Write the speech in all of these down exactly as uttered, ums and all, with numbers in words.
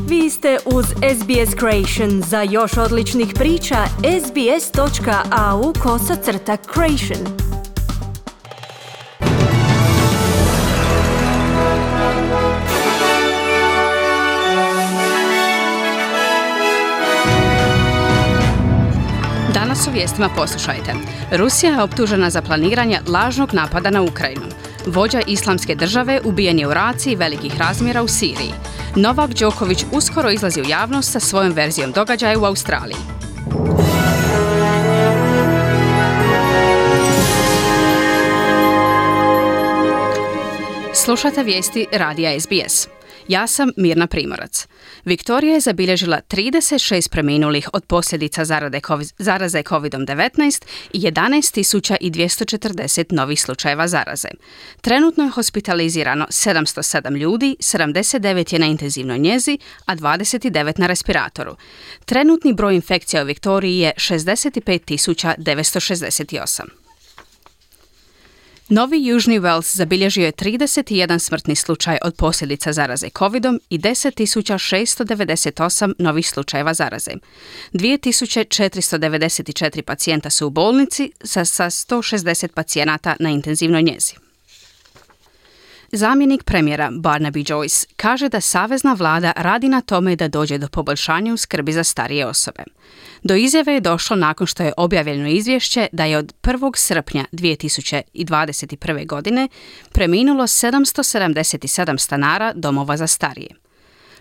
Vi ste uz S B S Creation. Za još odličnih priča, sbs.au kosacrta creation. Danas u vijestima poslušajte. Rusija je optužena za planiranje lažnog napada na Ukrajinu. Vođa islamske države ubijen je u raciji velikih razmjera u Siriji. Novak Đoković uskoro izlazi u javnost sa svojom verzijom događaja u Australiji. Slušate vijesti radija S B S. Ja sam Mirna Primorac. Viktorija je zabilježila trideset šest preminulih od posljedica zaraze kovid devetnaest i jedanaest tisuća dvjesto četrdeset novih slučajeva zaraze. Trenutno je hospitalizirano sedamsto sedam ljudi, sedamdeset devet je na intenzivnoj njezi, a dvadeset devet na respiratoru. Trenutni broj infekcija u Viktoriji je šezdeset pet tisuća devetsto šezdeset osam. Novi Južni Wales zabilježio je trideset jedan smrtni slučaj od posljedica zaraze covidom i deset tisuća šesto devedeset osam novih slučajeva zaraze. dvije tisuće četiristo devedeset četiri pacijenta su u bolnici sa, sa sto šezdeset pacijenata na intenzivnoj njezi. Zamjenik premijera Barnaby Joyce kaže da savezna vlada radi na tome da dođe do poboljšanja u skrbi za starije osobe. Do izjave je došlo nakon što je objavljeno izvješće da je od prvog srpnja dvije tisuće dvadeset prve. godine preminulo sedamsto sedamdeset sedam stanara domova za starije.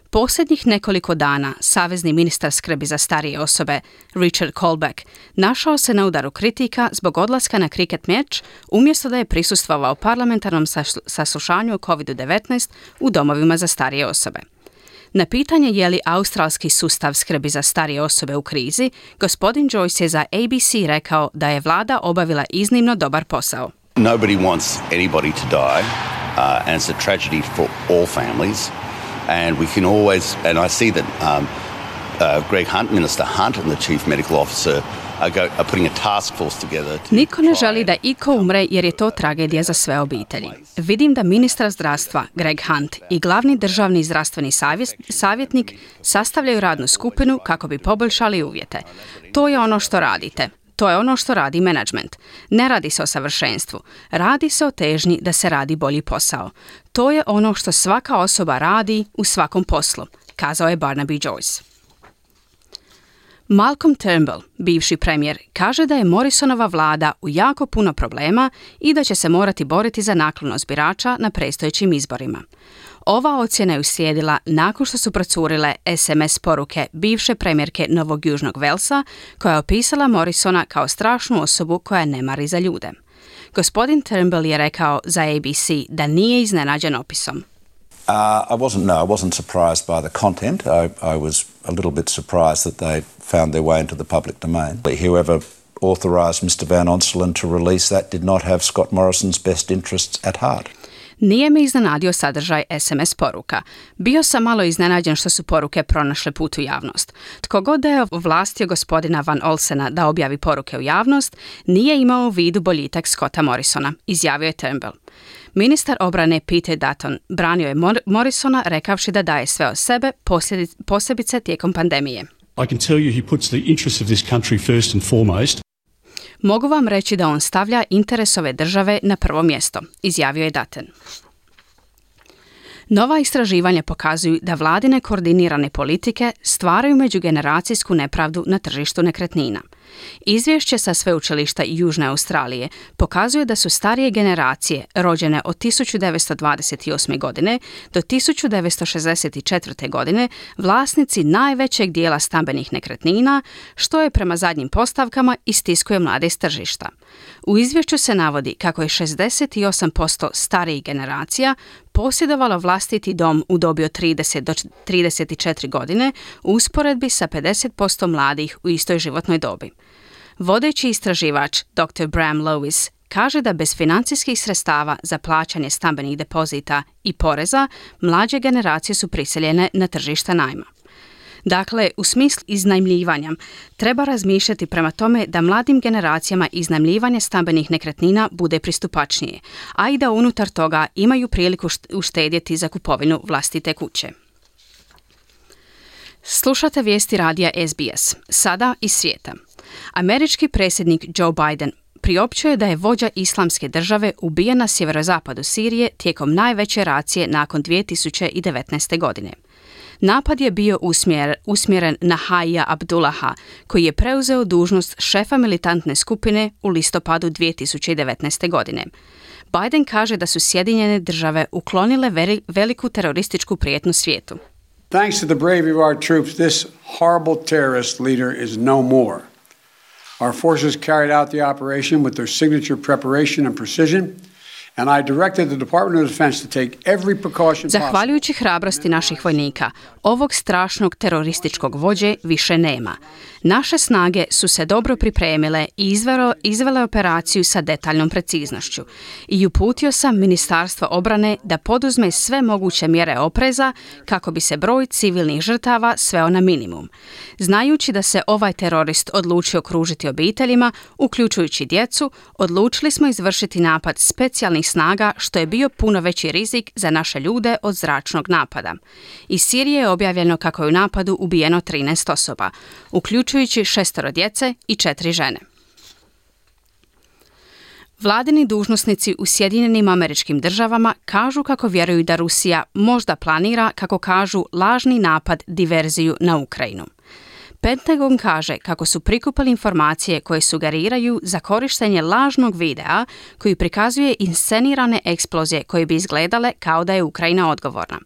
Posljednjih nekoliko dana savezni ministar skrbi za starije osobe Richard Colbeck našao se na udaru kritika zbog odlaska na kriket meč umjesto da je prisustvovao parlamentarnom saslušanju o kovid devetnaest u domovima za starije osobe. Na pitanje je li australski sustav skrbi za starije osobe u krizi, gospodin Joyce je za A B C rekao da je vlada obavila iznimno dobar posao. Nobody wants anybody to die, uh, and it's a tragedy for all families. And we can always, and I see that um, uh, Greg Hunt, Minister Hunt, and the Chief Medical Officer are, go, are putting a task force together. To Niko ne želi da iko umre jer je to tragedija za sve obitelji. Vidim da ministar zdravstva Greg Hunt i glavni državni zdravstveni savjetnik sastavljaju radnu skupinu kako bi poboljšali uvjete. To je ono što radite. To je ono što radi menadžment. Ne radi se o savršenstvu. Radi se o težnji da se radi bolji posao. To je ono što svaka osoba radi u svakom poslu, kazao je Barnaby Joyce. Malcolm Turnbull, bivši premijer, kaže da je Morrisonova vlada u jako puno problema i da će se morati boriti za naklonost birača na predstojećim izborima. Ova ocjena je uslijedila nakon što su procurile S M S poruke bivše premijerke Novog Južnog Velsa, koja je opisala Morrisona kao strašnu osobu koja ne mari za ljude. Gospodin Turnbull je rekao za A B C da nije iznenađen opisom. Uh, I wasn't, no, I wasn't surprised by the content. I, I was a little bit surprised that they found their way into the public domain. Whoever authorised Mister Van Onselen to release that did not have Scott Morrison's best interests at heart. Nije me iznenadio sadržaj S M S poruka. Bio sam malo iznenađen što su poruke pronašle put u javnost. Tko god da je ovlastio gospodina Van Olsena da objavi poruke u javnost, nije imao u vidu boljitak Scotta Morrisona, izjavio je Turnbull. Ministar obrane Peter Dutton branio je Mor- Morrisona rekavši da daje sve od sebe, posebice tijekom pandemije. I can tell you he puts the interests of this country first and foremost. Mogu vam reći da on stavlja interes ove države na prvo mjesto, izjavio je Dutton. Nova istraživanja pokazuju da vladine koordinirane politike stvaraju međugeneracijsku nepravdu na tržištu nekretnina. Izvješće sa sveučilišta Južne Australije pokazuje da su starije generacije rođene od tisuću devetsto dvadeset osme. godine do tisuću devetsto šezdeset četvrte. godine vlasnici najvećeg dijela stambenih nekretnina, što je prema zadnjim postavkama istiskuje mlade s tržišta. U izvješću se navodi kako je šezdeset osam posto starijih generacija posjedovalo vlastiti dom u dobi od trideset do trideset četiri godine u usporedbi sa pedeset posto mladih u istoj životnoj dobi. Vodeći istraživač doktor Bram Lewis kaže da bez financijskih sredstava za plaćanje stambenih depozita i poreza, mlađe generacije su prisiljene na tržište najma. Dakle, u smislu iznajmljivanja treba razmišljati prema tome da mladim generacijama iznajmljivanje stambenih nekretnina bude pristupačnije, a i da unutar toga imaju priliku uštedjeti za kupovinu vlastite kuće. Slušate vijesti radija S B S, sada iz svijeta. Američki predsjednik Joe Biden priopćio je da je vođa Islamske države ubijen na sjeverozapadu Sirije tijekom najveće racije nakon dvije tisuće devetnaeste. godine. Napad je bio usmjer, usmjeren na Haija Abdullaha, koji je preuzeo dužnost šefa militantne skupine u listopadu dvije tisuće devetnaeste. godine. Biden kaže da su Sjedinjene države uklonile veri, veliku terorističku prijetnju svijetu. Thanks to the bravery of our troops, this horrible terrorist leader is no more. Our forces carried out the operation with their signature preparation and precision, and I directed the Department of Defense to take every precaution possible. Zahvaljujući hrabrosti naših vojnika, ovog strašnog terorističkog vođe više nema. Naše snage su se dobro pripremile i izvelo, izvele operaciju sa detaljnom preciznošću i uputio sam Ministarstvo obrane da poduzme sve moguće mjere opreza kako bi se broj civilnih žrtava sveo na minimum. Znajući da se ovaj terorist odlučio kružiti obiteljima, uključujući djecu, odlučili smo izvršiti napad specijalnih snaga, što je bio puno veći rizik za naše ljude od zračnog napada. Iz Sirije je objavljeno kako je u napadu ubijeno trinaest osoba, uključujući šestoro djece i četiri žene. Vladini dužnosnici u Sjedinjenim Američkim Državama kažu kako vjeruju da Rusija možda planira, kako kažu, lažni napad, diverziju na Ukrajinu. Pentagon kaže kako su prikupili informacije koje sugeriraju za korištenje lažnog videa koji prikazuje inscenirane eksplozije koje bi izgledale kao da je Ukrajina odgovorna.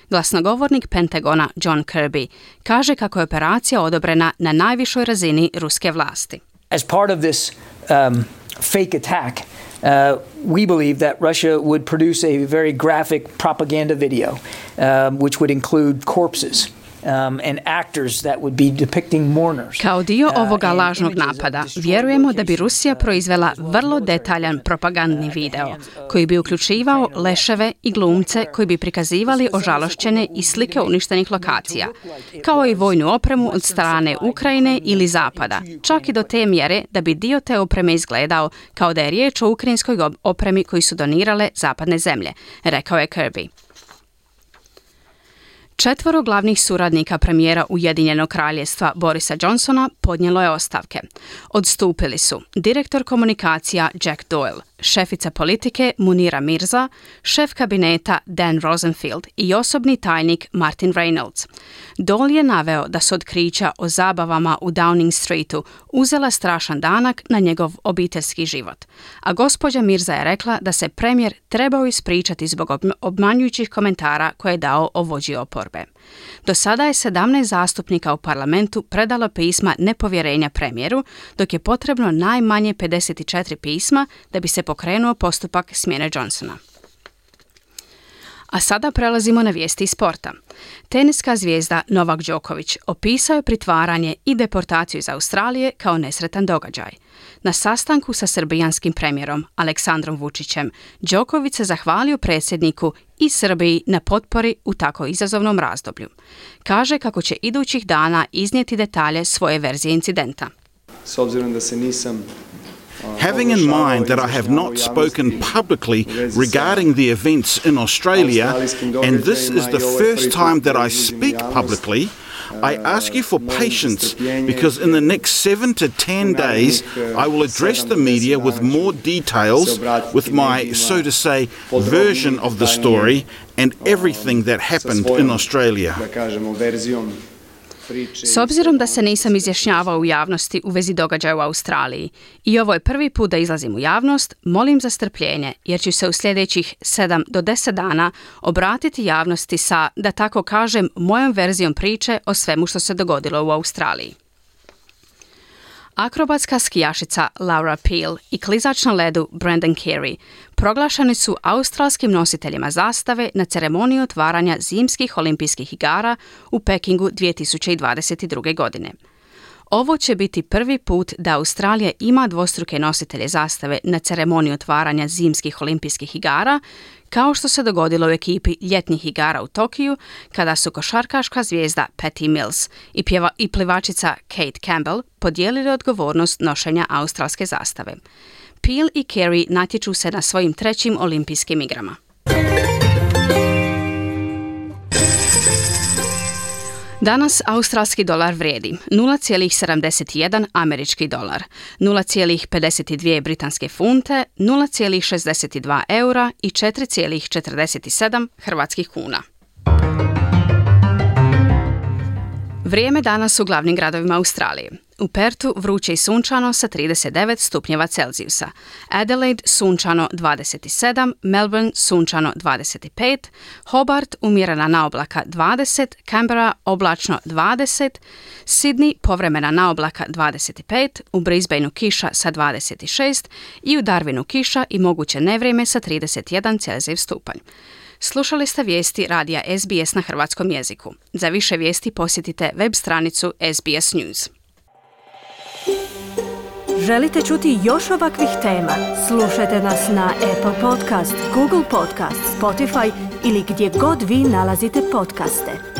Glasnogovornik Pentagona John Kirby kaže kako je operacija odobrena na najvišoj razini ruske vlasti. As part of this um, fake attack, uh, we believe that Russia would produce a very graphic propaganda video, um, which would include corpses. Um, and actors that would be depicting mourners. Kao dio ovoga lažnog napada, vjerujemo da bi Rusija proizvela vrlo detaljan propagandni video koji bi uključivao leševe i glumce koji bi prikazivali ožalošćene i slike uništenih lokacija, kao i vojnu opremu od strane Ukrajine ili Zapada, čak i do te mjere da bi dio te opreme izgledao kao da je riječ o ukrajinskoj opremi koju su donirale zapadne zemlje, rekao je Kirby. Četvoro glavnih suradnika premijera Ujedinjenog kraljevstva Borisa Johnsona podnijelo je ostavke. Odstupili su direktor komunikacija Jack Doyle, šefica politike Munira Mirza, šef kabineta Dan Rosenfield i osobni tajnik Martin Reynolds. Doyle je naveo da su otkrića o zabavama u Downing Streetu uzela strašan danak na njegov obiteljski život. A gospođa Mirza je rekla da se premijer trebao ispričati zbog obmanjujućih komentara koje je dao o vođi oporbe. Do sada je sedamnaest zastupnika u parlamentu predalo pisma nepovjerenja premijeru, dok je potrebno najmanje pedeset četiri pisma da bi se pokrenuo postupak smjene Johnsona. A sada prelazimo na vijesti iz sporta. Teniska zvijezda Novak Đoković opisao je pritvaranje i deportaciju iz Australije kao nesretan događaj. Na sastanku sa srbijanskim premijerom Aleksandrom Vučićem, Đoković se zahvalio predsjedniku i Srbiji na potpori u tako izazovnom razdoblju. Kaže kako će idućih dana iznijeti detalje svoje verzije incidenta. S obzirom da se nisam Having in mind that I have not spoken publicly regarding the events in Australia, and this is the first time that I speak publicly, I ask you for patience because in the next seven to ten days I will address the media with more details, with my, so to say, version of the story and everything that happened in Australia. S obzirom da se nisam izjašnjavao u javnosti u vezi događaja u Australiji i ovo je prvi put da izlazim u javnost, molim za strpljenje jer ću se u sljedećih sedam do deset dana obratiti javnosti sa, da tako kažem, mojom verzijom priče o svemu što se dogodilo u Australiji. Akrobatska skijašica Laura Peel i klizač na ledu Brandon Carey proglašeni su australskim nositeljima zastave na ceremoniji otvaranja zimskih olimpijskih igara u Pekingu dvije tisuće dvadeset druge. godine. Ovo će biti prvi put da Australija ima dvostruke nositelje zastave na ceremoniji otvaranja zimskih olimpijskih igara, kao što se dogodilo u ekipi ljetnih igara u Tokiju, kada su košarkaška zvijezda Patty Mills i, pjeva, i plivačica Kate Campbell podijelili odgovornost nošenja australske zastave. Peel i Carey natječu se na svojim trećim olimpijskim Danas australski dolar vrijedi nula zarez sedamdeset jedan američki dolar, nula zarez pedeset dvije britanske funte, nula zarez šezdeset dva eura i četiri zarez četrdeset sedam hrvatskih kuna. Vrijeme danas u glavnim gradovima Australije. U Pertu vruće i sunčano sa trideset devet stupnjeva Celzijusa, Adelaide sunčano dvadeset sedam, Melbourne sunčano dvadeset pet, Hobart umjerena naoblaka dvadeset, Canberra oblačno dvadeset, Sydney povremena naoblaka dvadeset pet, u Brisbaneu kiša sa dvadeset šest i u Darwinu kiša i moguće nevrijeme sa trideset jedan Celzijev stupanj. Slušali ste vijesti radija S B S na hrvatskom jeziku. Za više vijesti posjetite web stranicu S B S News. Želite čuti još ovakvih tema? Slušajte nas na Apple Podcast, Google Podcast, Spotify ili gdje god vi nalazite podcaste.